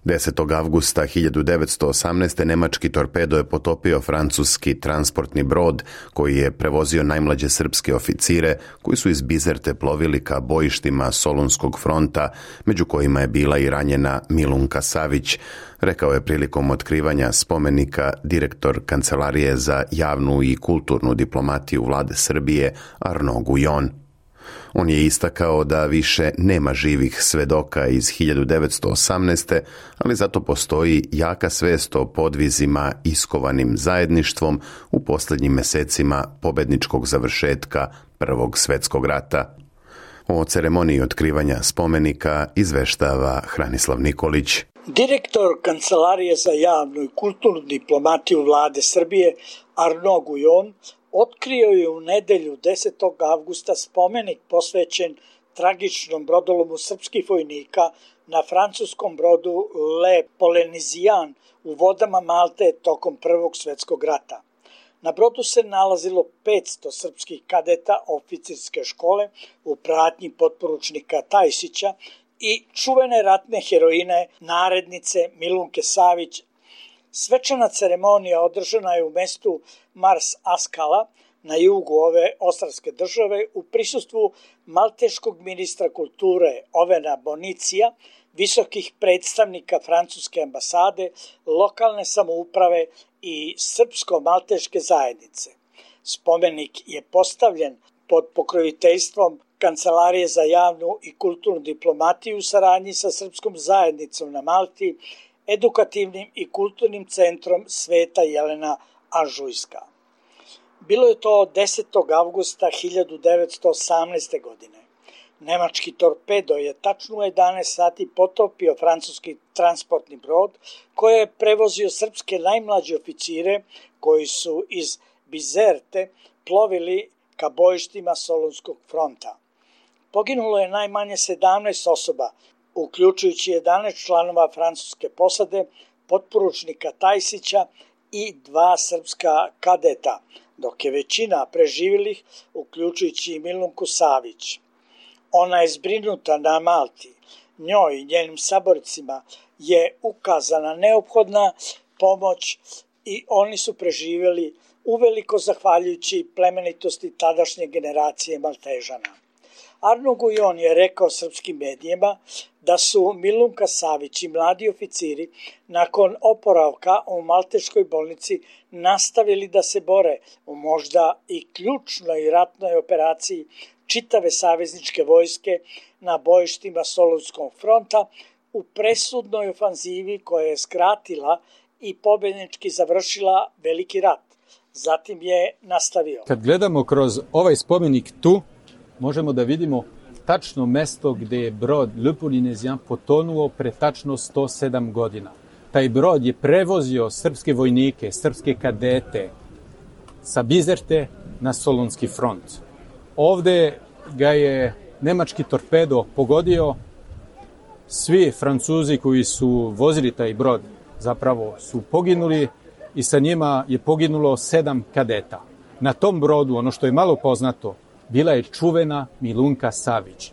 10. avgusta 1918. nemački torpedo je potopio francuski transportni brod koji je prevozio najmlađe srpske oficire koji su iz Bizerte plovili ka bojištima Solunskog fronta, među kojima je bila i ranjena Milunka Savić, rekao je prilikom otkrivanja spomenika direktor Kancelarije za javnu i kulturnu diplomatiju vlade Srbije Arnaud Guillon. On je istakao da više nema živih svedoka iz 1918. ali zato postoji jaka svest o podvizima iskovanim zajedništvom u posljednjim mesecima pobedničkog završetka Prvog svjetskog rata. O ceremoniji otkrivanja spomenika izveštava Hranislav Nikolić. Direktor Kancelarije za javnu i kulturnu diplomatiju vlade Srbije Arnaud Guillon otkrio je u nedelju 10. avgusta spomenik posvećen tragičnom brodolomu srpskih vojnika na francuskom brodu Le Polynésien u vodama Malte tokom Prvog svjetskog rata. Na brodu se nalazilo 500 srpskih kadeta oficirske škole u pratnji potporučnika Tajsića i čuvene ratne heroine narednice Milunke Savić. Svečana ceremonija održana je u mestu Mars Askala na jugu ove ostrvske države u prisustvu malteškog ministra kulture Ovena Bonicija, visokih predstavnika francuske ambasade, lokalne samouprave i srpsko-malteške zajednice. Spomenik je postavljen pod pokroviteljstvom Kancelarije za javnu i kulturnu diplomatiju u saradnji sa srpskom zajednicom na Malti, edukativnim i kulturnim centrom Sveta Jelena Anžujska. Bilo je to 10. avgusta 1918. godine. Nemački torpedo je tačno u 11 sati potopio francuski transportni brod koji je prevozio srpske najmlađe oficire koji su iz Bizerte plovili ka bojištima Solunskog fronta. Poginulo je najmanje 17 osoba, uključujući 11 članova francuske posade, potporučnika Tajsića i 2 srpska kadeta, dok je većina preživjelih, uključujući i Milunku Savić. Ona je zbrinuta na Malti. Njoj i njenim saborcima je ukazana neophodna pomoć i oni su preživjeli uveliko zahvaljujući plemenitosti tadašnje generacije Maltežana. Arnaud Guillon je rekao srpskim medijima da su Milunka Savić i mladi oficiri nakon oporavka u malteškoj bolnici nastavili da se bore u možda i ključnoj ratnoj operaciji čitave savezničke vojske na bojištima Solunskog fronta u presudnoj ofanzivi koja je skratila i pobjednički završila veliki rat. Zatim je nastavio. Kad gledamo kroz ovaj spomenik tu, možemo da vidimo tačno mesto gdje je brod Le Polynésien potonuo pre tačno 107 godina. Taj brod je prevozio srpske vojnike, srpske kadete sa Bizerte na Solunski front. Ovde ga je nemački torpedo pogodio. Svi Francuzi koji su vozili taj brod zapravo su poginuli i sa njima je poginulo 7 kadeta. Na tom brodu, ono što je malo poznato, bila je čuvena Milunka Savić.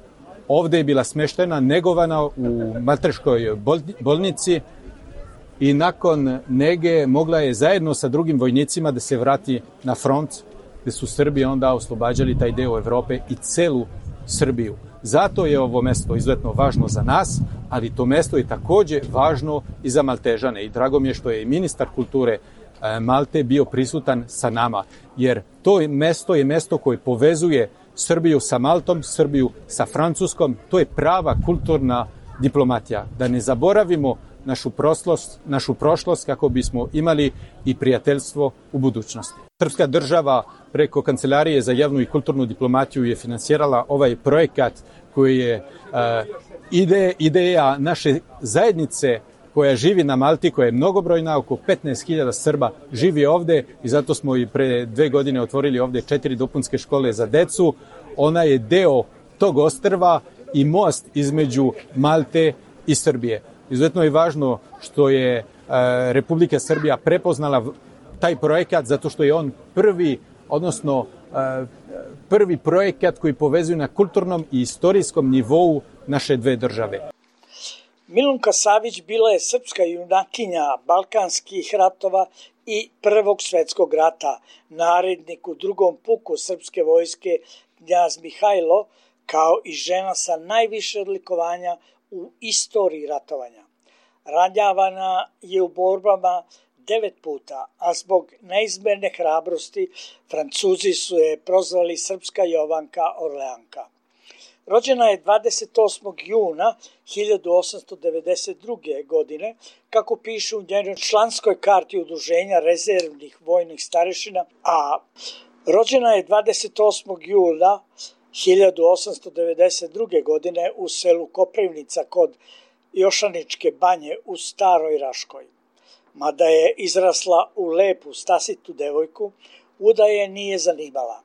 Ovde je bila smeštena, negovana u Malteškoj bolnici i nakon nege mogla je zajedno sa drugim vojnicima da se vrati na front, gde su Srbi onda oslobađali taj deo Evrope i celu Srbiju. Zato je ovo mesto izuzetno važno za nas, ali to mesto je takođe važno i za Maltežane. I drago mi je što je ministar kulture Malte bio prisutan sa nama, jer to mesto je mesto koje povezuje Srbiju sa Maltom, Srbiju sa Francuskom. To je prava kulturna diplomatija. Da ne zaboravimo našu prošlost kako bismo imali i prijateljstvo u budućnosti. Srpska država preko Kancelarije za javnu i kulturnu diplomatiju je finansirala ovaj projekat koji je ideja naše zajednice koja živi na Malti, koja je mnogobrojna, oko 15.000 Srba živi ovde i zato smo i pre 2 godine otvorili ovde 4 dopunske škole za decu. Ona je deo tog ostrva i most između Malte i Srbije. Izuzetno je važno što je Republika Srbija prepoznala taj projekat zato što je on prvi projekat koji povezuje na kulturnom i istorijskom nivou naše dve države. Milunka Savić bila je srpska junakinja balkanskih ratova i Prvog svetskog rata, narednik u drugom puku srpske vojske knjaz Mihajlo, kao i žena sa najviše odlikovanja u istoriji ratovanja. Ranjavana je u borbama 9 puta, a zbog neizmerne hrabrosti Francuzi su je prozvali Srpska Jovanka Orleanka. Rođena je 28. juna 1892. godine, kako piše u njenoj članskoj karti Udruženja rezervnih vojnih starešina, a rođena je 28. jula 1892. godine u selu Koprivnica kod Jošaničke banje u Staroj Raškoj. Mada je izrasla u lepu stasitu devojku, udaje nije zanimala.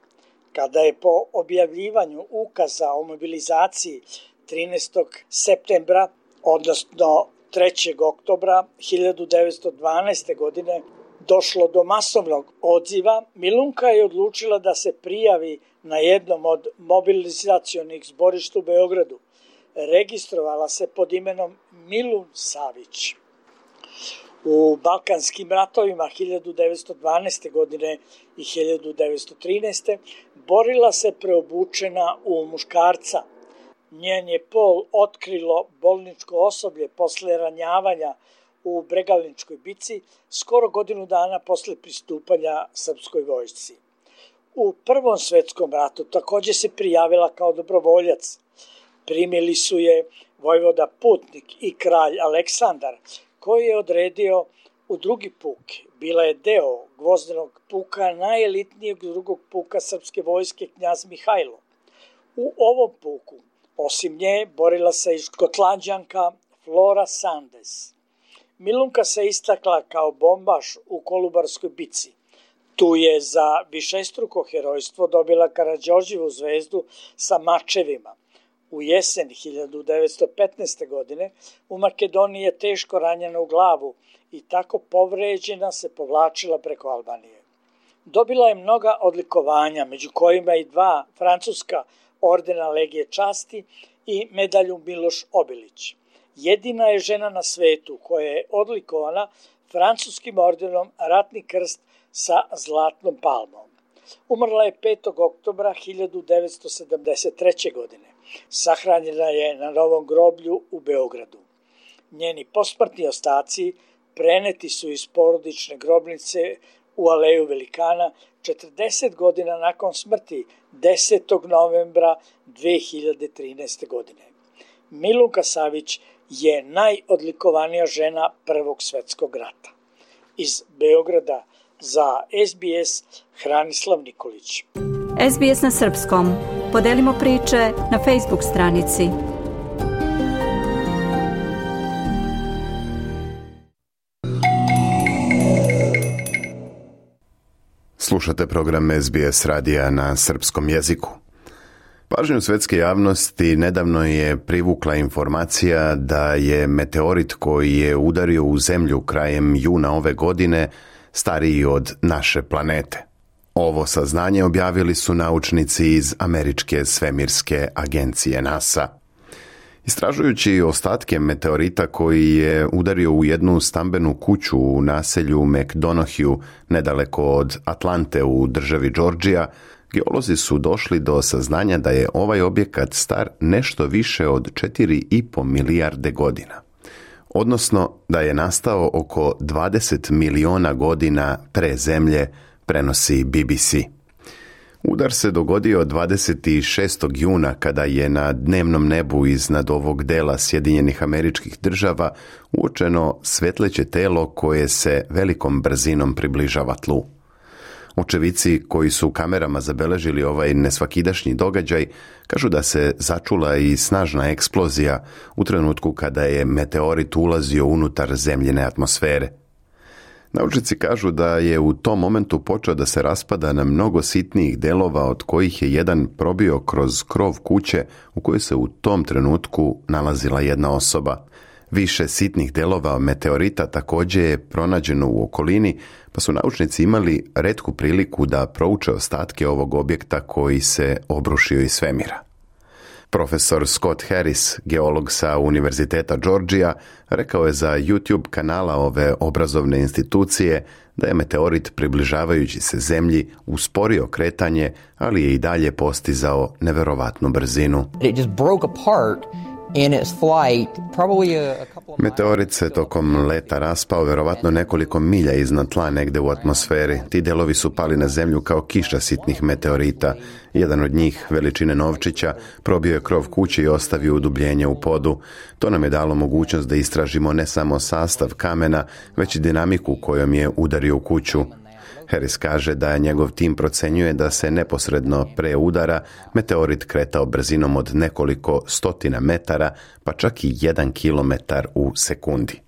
Kada je po objavljivanju ukaza o mobilizaciji 13. septembra, odnosno 3. oktobra 1912. godine, došlo do masovnog odziva, Milunka je odlučila da se prijavi na jednom od mobilizacionih zborišta u Beogradu. Registrovala se pod imenom Milun Savić. U Balkanskim ratovima 1912. godine i 1913. borila se preobučena u muškarca. Njen je pol otkrilo bolničko osoblje posle ranjavanja u Bregalničkoj bici skoro godinu dana posle pristupanja srpskoj vojsci. U Prvom svetskom ratu takođe se prijavila kao dobrovoljac. Primili su je vojvoda Putnik i kralj Aleksandar, koji je odredio u drugi puk. Bila je deo gvozdenog puka najelitnijeg drugog puka srpske vojske knjaz Mihajlo. U ovom puku, osim nje, borila se i Škotlanđanka Flora Sandes. Milunka se istakla kao bombaš u Kolubarskoj bici. Tu je za višestruko herojstvo dobila Karađorđevu zvezdu sa mačevima. U jesen 1915. godine u Makedoniji je teško ranjena u glavu i tako povređena se povlačila preko Albanije. Dobila je mnoga odlikovanja, među kojima i 2 francuska ordena Legije časti i medalju Miloš Obilić. Jedina je žena na svetu koja je odlikovana francuskim ordenom Ratni krst sa zlatnom palmom. Umrla je 5. oktobra 1973. godine. Sahranjena je na novom groblju u Beogradu. Njeni posmrtni ostaci preneti su iz porodične grobnice u Aleju Velikana 40 godina nakon smrti 10. novembra 2013. godine. Milunka Savić je najodlikovanija žena Prvog svetskog rata. Iz Beograda za SBS Hranislav Nikolić. SBS na srpskom. Podelimo priče na Facebook stranici. Slušate program SBS radija na srpskom jeziku. Pažnju svetske javnosti nedavno je privukla informacija da je meteorit koji je udario u zemlju krajem juna ove godine stariji od naše planete. Ovo saznanje objavili su naučnici iz Američke svemirske agencije NASA. Istražujući ostatke meteorita koji je udario u jednu stambenu kuću u naselju McDonough nedaleko od Atlante u državi Georgija, geolozi su došli do saznanja da je ovaj objekat star nešto više od 4,5 milijarde godina. Odnosno da je nastao oko 20 miliona godina pre Zemlje, prenosi BBC. Udar se dogodio 26. juna kada je na dnevnom nebu iznad ovog dela Sjedinjenih Američkih Država uočeno svetleće telo koje se velikom brzinom približava tlu. Očevici koji su kamerama zabeležili ovaj nesvakidašnji događaj kažu da se začula i snažna eksplozija u trenutku kada je meteorit ulazio unutar zemljine atmosfere. Naučnici kažu da je u tom momentu počeo da se raspada na mnogo sitnijih delova, od kojih je jedan probio kroz krov kuće u kojoj se u tom trenutku nalazila jedna osoba. Više sitnih delova meteorita također je pronađeno u okolini, pa su naučnici imali retku priliku da prouče ostatke ovog objekta koji se obrušio iz svemira. Profesor Scott Harris, geolog sa Univerziteta Georgija, rekao je za YouTube kanala ove obrazovne institucije da je meteorit približavajući se Zemlji usporio kretanje, ali je i dalje postizao neverovatnu brzinu. It just broke apart in its flight, probably Meteorit se tokom leta raspao verovatno nekoliko milja iznad tla negde u atmosferi. Ti delovi su pali na zemlju kao kiša sitnih meteorita. Jedan od njih, veličine novčića, probio je krov kuće i ostavio udubljenje u podu. To nam je dalo mogućnost da istražimo ne samo sastav kamena, već i dinamiku kojom je udario u kuću. Harris kaže da njegov tim procenjuje da se neposredno pre udara meteorit kretao brzinom od nekoliko stotina metara, pa čak i 1 kilometar u sekundi.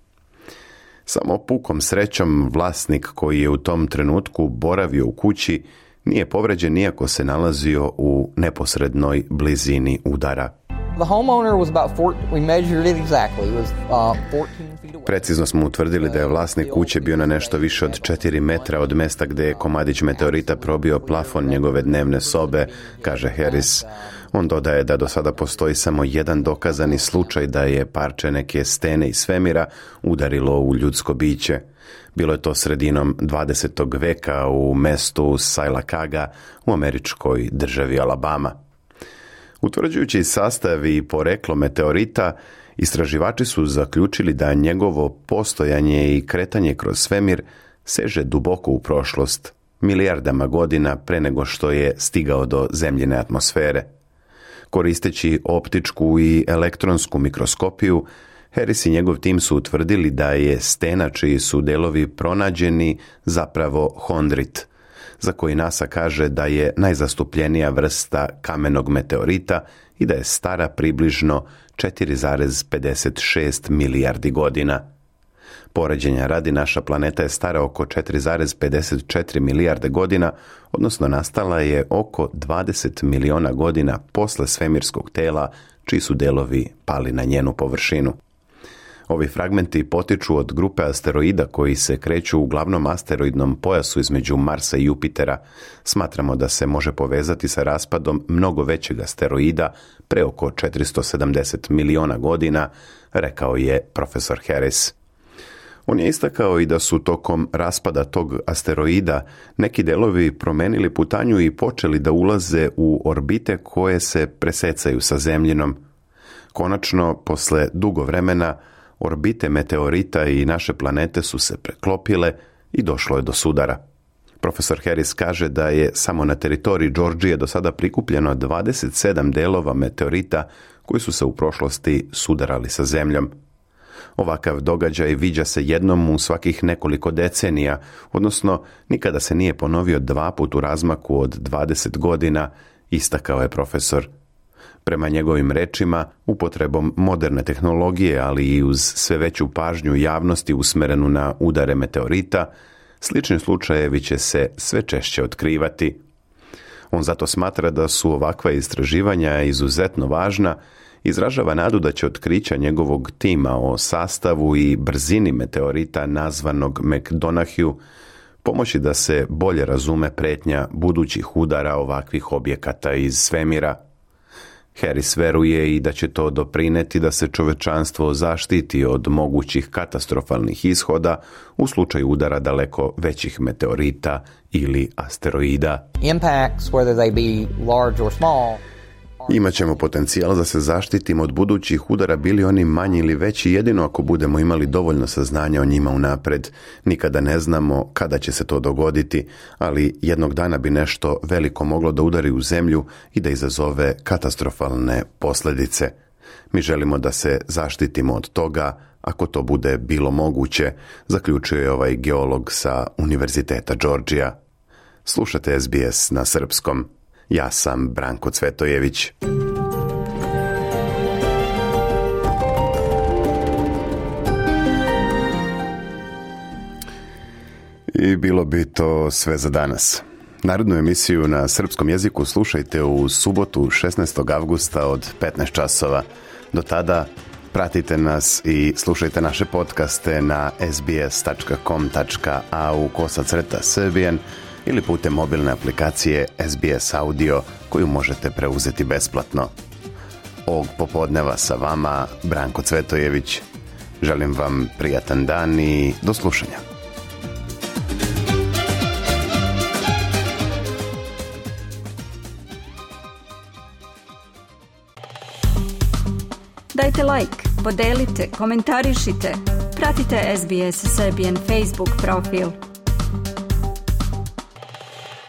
Samo pukom srećom vlasnik koji je u tom trenutku boravio u kući nije povređen iako se nalazio u neposrednoj blizini udara. The homeowner was about 14, we measured it exactly. It was 14 feet away. Precizno smo utvrdili da je vlasnik kuće bio na nešto više od 4 metra od mesta gdje je komadić meteorita probio plafon njegove dnevne sobe, kaže Harris. On dodaje da do sada postoji samo jedan dokazani slučaj da je parče neke stene iz svemira udarilo u ljudsko biće. Bilo je to sredinom 20. veka u mestu Sylacauga u američkoj državi Alabama. Utvrđujući sastav i poreklo meteorita, istraživači su zaključili da njegovo postojanje i kretanje kroz svemir seže duboko u prošlost, milijardama godina pre nego što je stigao do zemljine atmosfere. Koristeći optičku i elektronsku mikroskopiju, Harris i njegov tim su utvrdili da je stena čiji su delovi pronađeni zapravo hondrit, za koji NASA kaže da je najzastupljenija vrsta kamenog meteorita i da je stara približno 4,56 milijardi godina. Poređenja radi, naša planeta je stara oko 4,54 milijarde godina, odnosno nastala je oko 20 miliona godina posle svemirskog tela, čiji su delovi pali na njenu površinu. Ovi fragmenti potiču od grupe asteroida koji se kreću u glavnom asteroidnom pojasu između Marsa i Jupitera. Smatramo da se može povezati sa raspadom mnogo većeg asteroida pre oko 470 miliona godina, rekao je profesor Harris. On je istakao i da su tokom raspada tog asteroida neki delovi promenili putanju i počeli da ulaze u orbite koje se presecaju sa Zemljinom. Konačno, posle dugo vremena, orbite meteorita i naše planete su se preklopile i došlo je do sudara. Profesor Harris kaže da je samo na teritoriji Georgije do sada prikupljeno 27 delova meteorita koji su se u prošlosti sudarali sa Zemljom. Ovakav događaj viđa se jednom u svakih nekoliko decenija, odnosno nikada se nije ponovio 2 puta u razmaku od 20 godina, istakao je profesor. Prema njegovim rečima, upotrebom moderne tehnologije, ali i uz sve veću pažnju javnosti usmerenu na udare meteorita, slični slučajevi će se sve češće otkrivati. On zato smatra da su ovakva istraživanja izuzetno važna, izražava nadu da će otkrića njegovog tima o sastavu i brzini meteorita nazvanog McDonaghu pomoći da se bolje razume pretnja budućih udara ovakvih objekata iz svemira. Harris veruje i da će to doprineti da se čovečanstvo zaštiti od mogućih katastrofalnih ishoda u slučaju udara daleko većih meteorita ili asteroida. Impacts, whether they be large or small, Imaćemo potencijal da se zaštitimo od budućih udara, bili oni manji ili veći, jedino ako budemo imali dovoljno saznanja o njima unapred. Nikada ne znamo kada će se to dogoditi, ali jednog dana bi nešto veliko moglo da udari u zemlju i da izazove katastrofalne posljedice. Mi želimo da se zaštitimo od toga, ako to bude bilo moguće, zaključio je ovaj geolog sa Univerziteta Georgia. Slušate SBS na srpskom. Ja sam Branko Cvetojević. I bilo bi to sve za danas. Narodnu emisiju na srpskom jeziku slušajte u subotu 16. avgusta od 15 časova. Do tada pratite nas i slušajte naše podcaste na sbs.com.au/Serbian ili putem mobilne aplikacije SBS Audio koju možete preuzeti besplatno. Ovog popodneva sa vama Branko Cvetojević. Želim vam prijatan dan i do slušanja. Dajte like, podelite, komentarišite. Pratite SBS Serbian Facebook profil.